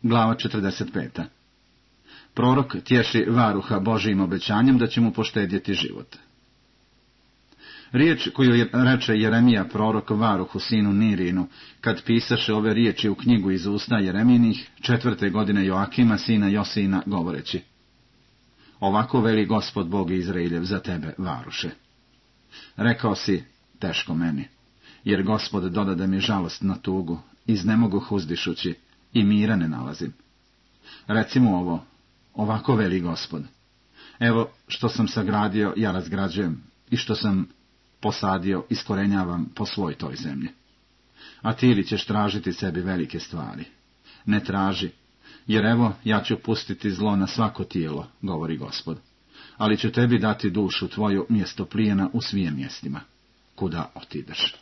Glava 45. Prorok tješi varuha Božijim obećanjem da će mu poštedjeti život. Riječ koju reče Jeremija prorok varuhu sinu Nirinu, kad pisaše ove riječi u knjigu iz usta Jeremijinih, 4. godine Joakima sina Josina, govoreći: Ovako veli Gospod Bog Izraeljev za tebe, varuše. Rekao si, teško meni, jer Gospod dodade mi žalost na tugu, iznemogoh uzdišući, i mira ne nalazim. Reci mu ovo, ovako veli Gospod: Evo što sam sagradio, ja razgrađujem, i što sam posadio, iskorenjavam po svoj toj zemlji. A ti li ćeš tražiti sebi velike stvari? Ne traži, jer evo ja ću pustiti zlo na svako tijelo, govori Gospod, ali ću tebi dati dušu tvoju mjesto plijena u svim mjestima, kuda otideš.